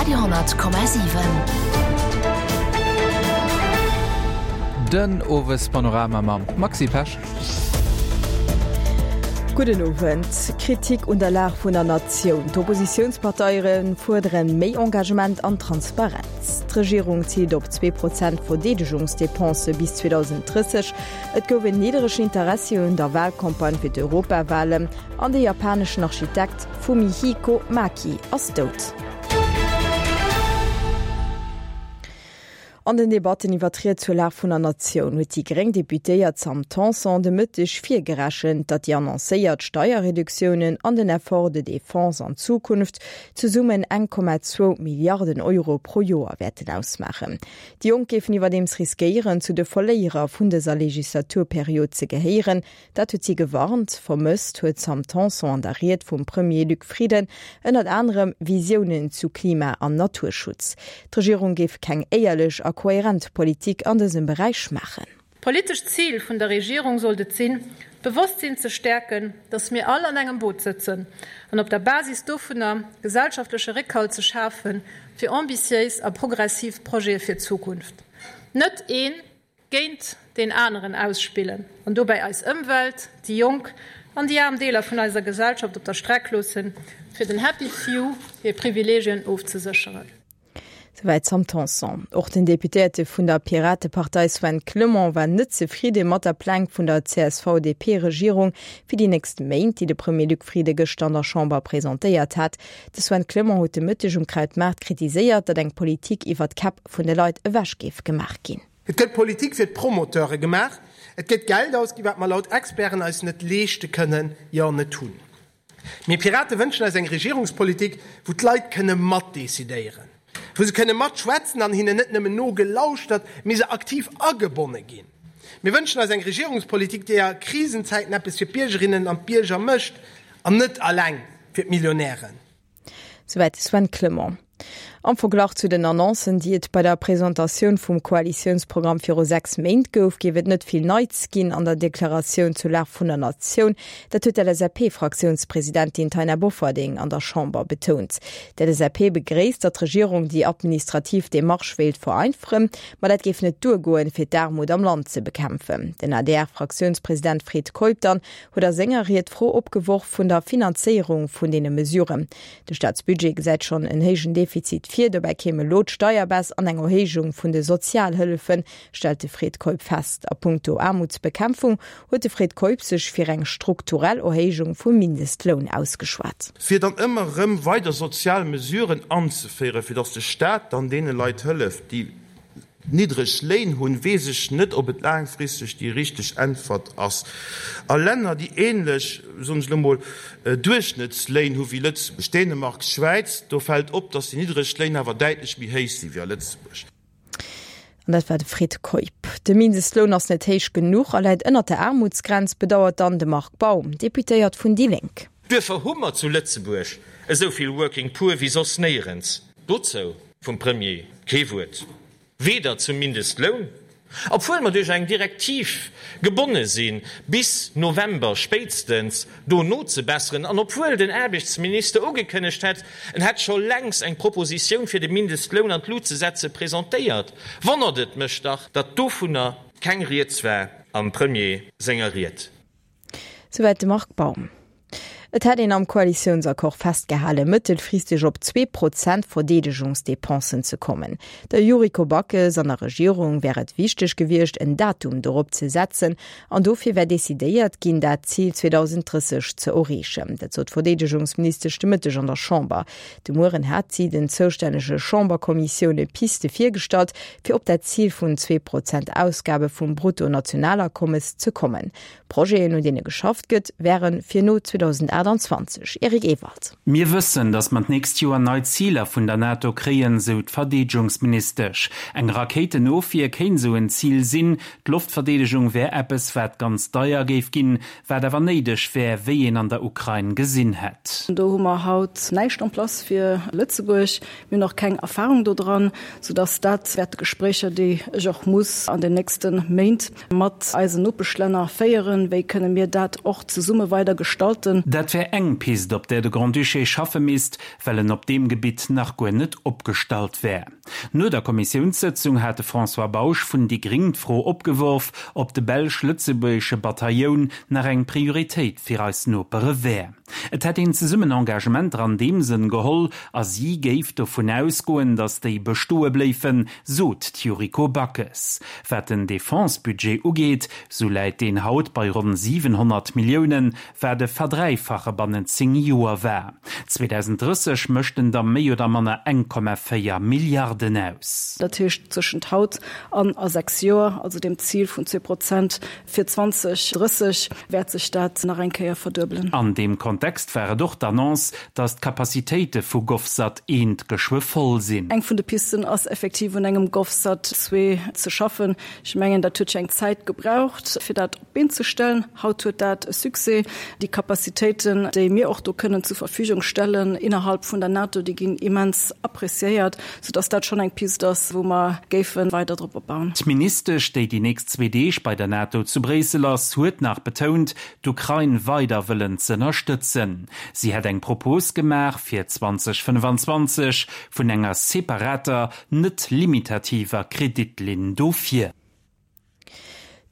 Radio,7. Den Owespanorama mam Maxi Pesch. Gudden Owend. Kritik un der Lag vun der Natioun. D'Oppositiounsparteiere fuerdere méi Engagement an Transparenz. D'Regierung ziilt op 2 Prozent Verdeedegungsdepensë bis 2030. Et gouf en nidderegen Interessi un der Walcampagne fir d'Europawalen an de japaneschen Architekt Fumihiko Maki ass dout. An den Debatten iwwer d'Ried zur Lag vun der Natioun huet déi gréng Deputéiert Sam Tanson de Mëtteg virgerechent, datt déi annoncéiert Steierreduktiounen an den Effort de défense an Zukunft zesummen 1,2 Milliarden Euro pro Joer wäerten ausmaachen. Déi Jonk géifen iwwerdeems riskéieren, zu de Verléierer vun dëser Legislaturperiod ze gehéieren. Dat huet si gewarnt. Vermësst huet d'Sam Tanson an der Ried vum Premier Luc Frieden ënnert anerem Visiounen zu Klima an Naturschutz. D'Regierung géif keng éierlech a kohärent Politik an dësem Beräich maachen. D'politescht Zil vun der Regierung sollt et sinn, d'Bewosstsinn ze stäerken, datt mir all an engem Boot sëtzen, an op der Basis dovunner gesellschaftleche Réckhalt ze schafe fir ambitiéis a progressiv Projete fir d'Zukunft. Net ee géint deen aneren ausspillen an dobäi eis Ëmwelt, déi jonk an déi aarm Deeler vun eiser Gesellschaft op der Streck loossen, fir den Happy Few hir Privileegien ofzesécheren. Souwäit d'Sam Tanson. Och den Deputéierte vun der Piratepartei Sven Clement war net zefridde mat der Pläng vun der CSV-DP-Regierung fir déi nächst Méint, déi de Premier Luc Frieden gëschter an der Chamber presentéiert hat. De Sven Clement huet de Mëtteg um Krautmaart kritiséiert, datt eng Politik iwwer d'Käpp vun de Leit ewech géif gemaach ginn. Et gëtt Politik fir d'Promoteure gemaach, et gëtt Geld ausginn, wat mer laut Experten eis net leeschte kënnen, jo net hunn. Mir Pirate wënschen eis eng Regierungspolitik, wou d'Leit kënne matdecidéieren, wou se kënne matschwätzen an hinnen net nëmmen nogelauschtert, mee se aktiv agebonne ginn. Mir wënschen eis eng Regierungspolitik, déi a Krisenzäiten eppes fir d'Biergerinnen an d'Bierger mécht an net eleng fir d'Millionären. Souwäit de Sven Clement. Am Verglach zu den Annoncen, déi et bei der Presentatioun vum Koalitiounsprogramm viru 6 Méint gouf, géif et net vill Neits ginn an der Deklaratioun zur Lag vun der Natioun. Dat huet d'LSAP-Fraktiounspresidentin Taina Bofferding an der Chamber betount. D'LSAP begréisst, datt d'Regierung déi administrativ Demarche wéilt vereinfachen, ma dat géif net duergoen, fir d'Aarmut am Land ze bekämpfen. Den ADR-Fraktiounspresident Fred Keup dann huet a senger Ried d'Fro opgeworf vun der Finanzéierung vun deene Mesuren. De Staatsbudget gesäit schonn en héijen Defizit vir, dobäi kéim elo d'Steierbaisse an eng Erhéijung vun de Sozialhëllefen, stellt de Fred Keup fest. A punkto Aarmutsbekämpfung huet de Fred Keup sech fir eng strukturell Erhéijung vum Mindestloun ausgeschwat. Fir dann ëmmer erëm weider sozial Mesuren anzeféieren, fir datt de Staat dann deene Leit hëlleft, déi niddreg Léin hunn, weess ech net, ob et laangfristeg déi richteg Äntwert ass. A Länner, déi ähnlech, soen ech elo mol, Duerchschnëttsléin hu wéi Lëtzebuerg, Dänemark, Schwäiz, do fält op, dass déi niddreg Léin awer däitlech méi héich si wéi a Lëtzebuerg. An dat war de Fred Keup. De Mindestloun ass net héich genuch a läit ënnert der Aarmutsgrenz, bedauert dann de Marc Baum, Deputéiert vun déi Lénk. Duerfir hu mer zu Lëtzebuerg esou vill Working Poor wéi soss néierens. Dozou vum Premier kee Wuert, weder zum Mindestloun, obwuel mer duerch eng Direktiv gebonne sinn, bis November spéitstens do nozebesseren, an obwuel den Aarbechtsminister ugekënnegt hätt, en hätt scho längst eng Propositioun fir de Mindestloun an d'Lut ze setze presentéiert, wonnert et mech dach, datt dovunner keng Rieds war am Premier senger Ried. Souwäit de Marc Baum. Et hätt een am Koalitiounsaccord festgehalen, mëttelfristeg op 2% Verdeedegungsdepensen ze kommen. Der Yuriko Backes an der Regierung wär et wichteg gewiescht, en Datum dorop ze setzen an dofir wär decidéiert ginn, dat Zil 2030 ze erreechen. Dat sot d'Verdeedegungsministesch de Mëtteg an der Chamber. De Mueren hat si den zoustännege Chamberkommissioune Piste virgestallt, fir op dat Zil vun 2% Ausgabe vum Bruttonationalakommes ze kommen. Projeten, un deene geschafft gëtt, wäre fir no 2028. Eric Ewald. Mir wëssen, datt mer d'nächst Joer nei Ziler vun der NATO kréien, sou d'Verdeedgungsministesch. Eng Rakéitenofwier kéint sou en Zil sinn. D'Loftverdeedegung wär eppes, wat ganz deier géif ginn, wat awer néideg wär, wéi een an der Ukrain gesinn hätt. Do hu mer haut näischt en place fir Lëtzebuerg. Mir hunn och keng Erfahrung do dran, soudass dat wäerte Gespréicher, déi ech och muss an den nächste Méint mat eisen Nopeschlänner féieren, wéi kënne mir dat och zesumme weider gestalten. Dat. Dat wär eng Pist, op där de Grand-Duché schaffe misst, well en op deem Gebitt nach guer net opgestallt wär. No der Kommissiounssëtzung hat de François Bausch vun déi Gring d'Fro opgeworf, ob de belsch-lëtzebuergesche Batailloun nach eng Prioritéit fir eis Nopere wär. Et hätt een zesummen Engagementer an deem Sënn geholl a si géif dovun ausgoen, datt déi bestoe bléifen, sot d'Yuriko Backes. Wat den Defense-Budget ugeet, sou läit deen haut bei ronn 700 Milliounen, wat e Verdräifache bannent 10 Joer war. 2030 mécht en da méi oder manner 1,4 Milliarden aus. Dat heescht, zwëschent haut an a 6 Joer, also dem Zil vun 2 Prozent fir 2030, wäert sech dat nach eng Kéier verduebelen. An deem Kontext war et och d'Annonce, datt d'Capacitéite vu GovSat I geschwë voll sinn. Eng vun de Pisten ass effektiv un engem GovSat ii ze schaffen. Ech mengen, dat huet jo eng Zäit gebraucht, fir dat op d'Been ze stellen. Haut huet dat e Succès. Déi Capacitéiten, déi mir och do kënnen zur Verfügung stellen innerhalb vun der NATO, déi ginn immens appréciéiert, soudass dat schonn eng Pist ass, wou mer géife weider drop opbauen. D'Ministesch, déi déi nächst zwee Deeg bei der NATO zu Bréissel ass, huet nach betount, d'Ukrain weider wëllen z'ënnerstëtzen. Si hätt eng Propos gemaach fir 2025 vun enger separater, net limitativer Kreditlinn dofir.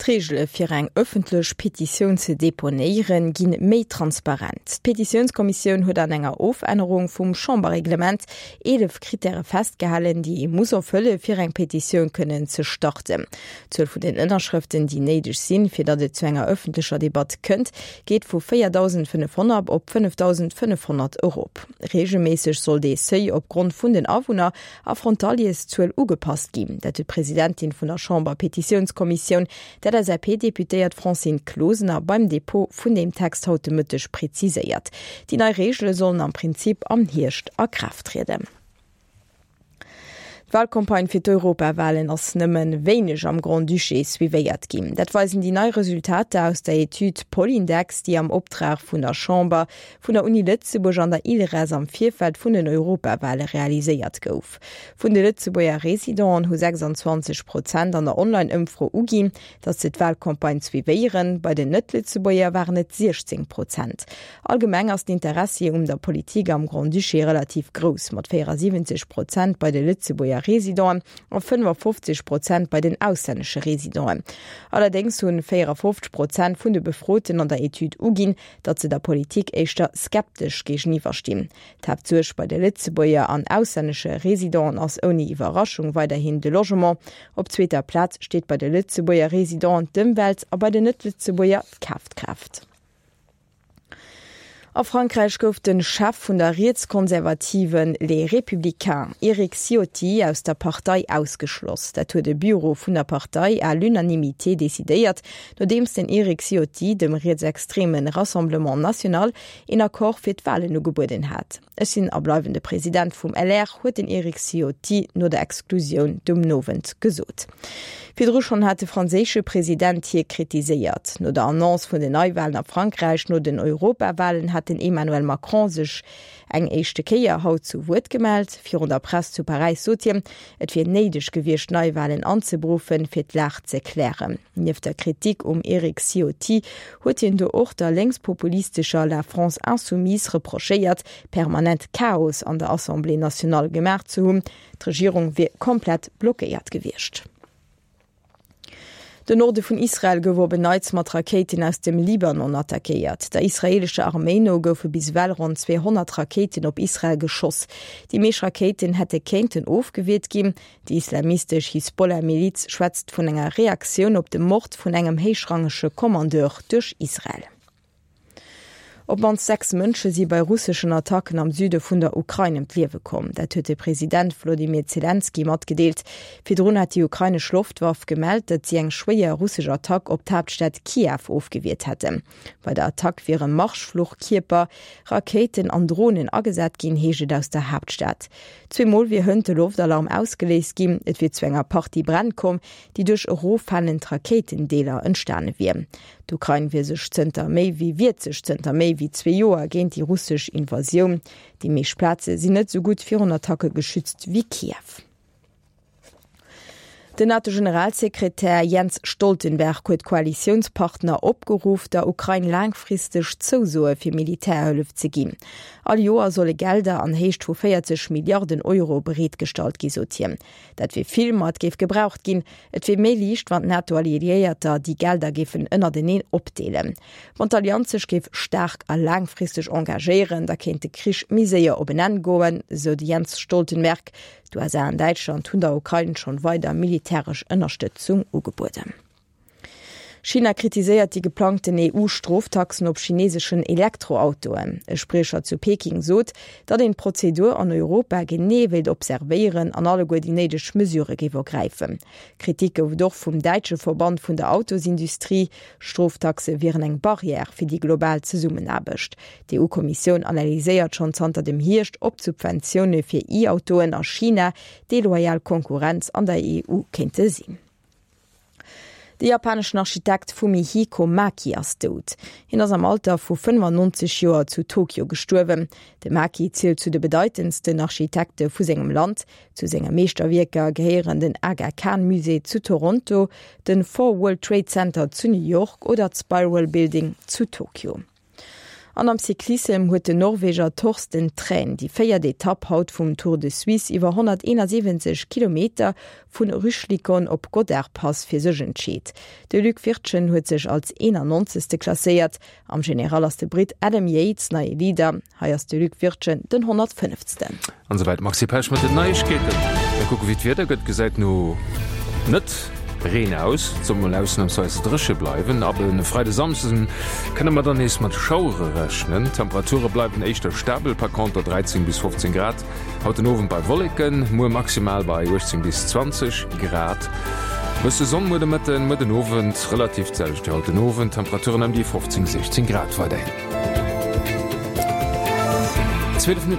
D'Reegele fir eng ëffentlech Petitioun ze deponéieren, ginn méi transparent. D'Petitiounskommissioun huet an enger Ofännerung vum Chamberreglement 11 Krittäre festgehalen, déi ee muss erfëlle fir eng Petitioun kënnen ze starten. D'Zuel vun den Ënnerschrëften, déi néideg sinn, fir datt et zu enger ëffentlecher Debatt kënnt, geet vu 4.500 op 5.500 erop. Reegelméisseg soll dee Seuil opgrond vun den Awunner a Frontalierszuel ugepasst ginn. Dat huet d'Presidentin vun der Chamber-Petitiounskommissioun, d'LSAP-Deputéiert Francine Closener, beim Depot vun deem Text haut de Mëtteg preziséiert. Déi nei Reegele sollen am Prinzip am Hierscht a Kraaft trieden. D'Walcampagne fir d'Europawalen ass nëmme wéineg am Grand-Duché suivéiert ginn. Dat weisen déi nei Resultater aus der Etüd Polindex, déi am Optrag vun der Chamber vun der Uni Lëtzebuerg an der ILRES am Virfeld vun den Europawale realiséiert gouf. Vun de Lëtzebuerger Residenten hu 26 Prozent an der Online-Ëmfro uginn, datt se d'Walcampagne suivéieren, bei den Net-Lëtzebuerger waren et 16 Prozent. Allgemeng ass d'Interessi um der Politik am Grand-Duché relativ grouss, mat 74 Prozent bei de Lëtzebuerger Residenten a 55 Prozent bei den auslännesche Residenten. Allerdéngs hunn 54 Prozent vun de Befroten an der Etüd uginn, datt se der Politik éischter skeptesch géigeniwwer stinn. D'Haaptsuerg bei de Lëtzebuerger an auslännesche Residenten ass ouni Iwwerraschung weiderhin de Logement. Op zweeter Plaz steet bei de Lëtzebuerger Residenten d'Ëmwelt a bei den Net-Lëtzebuerger d'Kafkraaft. A Frankräich gouf de Chef vun der rietskonservative Les Républicains, Eric Ciotti, aus der Partei ausgeschloss. Dat huet e Bureau vun der Partei à l'unanimité decidéiert, nodeems den Eric Ciotti dem rietsextreme Rassemblement National een Accord fir d'Walen ugebueden hat. Ech sinn a bleiwen de President vum LR, huet den Eric Ciotti no der Exklusioun de Owend gesot. Virdru schonn hat de franséische President hie kritiséiert. No der Annonce vun den Neiwalen a Frankräich no den Europawalen hat den Emmanuel Macron sech eng éischte Kéier haut zu Wuert gemellt. Virun der Press zu Paräis sot hien, Et wier néideg gewiescht, Neiwalen anzeberuffen, fir d'Lag ze klären. Nieft der Kritik um Eric Ciotti huet hien do och der lénkspopulistescher La France Insoumise reprochéiert, permanent Chaos an der Assemblée nationale gemaach ze hunn. D'Regierung wier komplett blockéiert gewiescht. Den Norde vun Israel gouf op en Neits mat Rakéiten aus dem Libanon attackéiert. Der israeelescher Arméi no goufe bis ewell ronn 200 Rakéiten op Israel geschoss. Déi meescht Rakéiten hätte kéinten ofgewiert ginn. Déi islamistesch Hisbollah-Miliz schwätzt vun enger Reaktioun op de Mord vun engem héichrangege Kommandeur duerch Israel. Op d'mannst 6 Mënsche si bei russeschen Attacken am Süde vun der Ukrain ëm d'Liewe komm. Dat huet de President Wolodymyr Zelenskyj matgedeelt. Virdrun hat déi ukrainesch Loftwaff gemellt, datt si eng schwéier russesch Attack op d'Haaptstad Kiew ofgewiert hätten. Bei der Attack wiere Marschfluchkierper, Rakéiten an Dronen agesat ginn, heescht et aus der Haaptstad. Zweemol wier hënt de Loftalarm ausgeléist ginn. Et wier zu enger Partie Bränn komm, déi duerch eroffalend Rakéitendeeler entstane wier. D'Ukrain wier sech zënter méi wéi wiert sech zënter méi wéi zwee Joer géint déi russesch Invasioun. Déi meescht Plaze sinn net esou gutt virun Attacke geschützt wéi Kiew. Den NATO-Generalsekretär Jens Stoltenberg huet d'Koalitiounspartner opgeruff, der Ukrain laangfristeg Zousoe fir Militärhëllef ze ginn. All Joer solle Gelder an Héicht vu 40 Milliarden Euro bereetgestallt gi, sot hien. Dat wier vill, ma et géif gebraucht ginn. Et wier méi liicht, wann d'NATO-Alliéierter déi Gelder géifen ënnerteneen opdeelen. Wann d'Allianz sech géif staark a laangfristeg engagéieren, da kéint de Krich méi séier op en Enn goen, sou de Jens Stoltenberg. D'USA an Däitschland hunn der Ukrain schonn weider militäresch Ënnerstëtzung ugebueden. China kritiséiert déi geplangten EU-Stroftaxen op chineseschen Elektroautoen. E Spriecher zu Peking sot, datt een d'Prozedur an Europa genee wéilt observéieren an alleguer déi néideg Mesurë géif ergräifen. Kritik gouf et och vum däitsche Verband vun der Autosindustrie. Stroftaxe wieren eng Barrière fir déi global Zesummenaarbecht. D'EU-Kommissioun analyséiert schonn zanter dem Hierscht, ob d'Subventioune fir E-Autoen a China deloyal Konkurrenz an der EU kéinte sinn. De japaneschen Architekt Fumihiko Maki ass dout. Hien ass am Alter vu 95 Joer zu Tokio gestuerwen. De Maki zielt zu de bedeitendsten Architekte vu sengem Land. Zu senge Meeschterwierker gehéieren den Aga Khan Musée zu Toronto, den Four World Trade Center zu New York oder d'Spiral Building zu Tokio. An am Cyclissem huet den Norweger Torsten Træn déi véiert Etapp haut vum Tour de Suisse iwwer 171 Kilometer vun Rüschlikon op Gottardpass fir sech entscheet. De Luc Wirtgen huet sech als 91. Klasséiert. Am General ass de Britt Adam Yates neie Leader. Hei ass de Luc Wirtgen den 105. An esouwäit d'Maxi Pesch mat den Neiegkeeten. Mir kucke wéi d'Wieder gëtt. Gesäit no net Reen aus. Et soll mol ausnamsweis dréche bleiwen. Ab e Freide Samsden kënne mer dann nees mat Schauere rechnen. D'Temperature bleiwen éischter stabel, par conter 13 bis 15 Grad haut den Owend bei Wolleken, muer maximal bei 18 bis 20 Grad. Bësse Sonn muer de Mëtten, muer den Owend relativ d'selwecht wéi haut den Owend, Temperaturen ëm déi 15, 16 Grad weiderhin. 12 Minutten.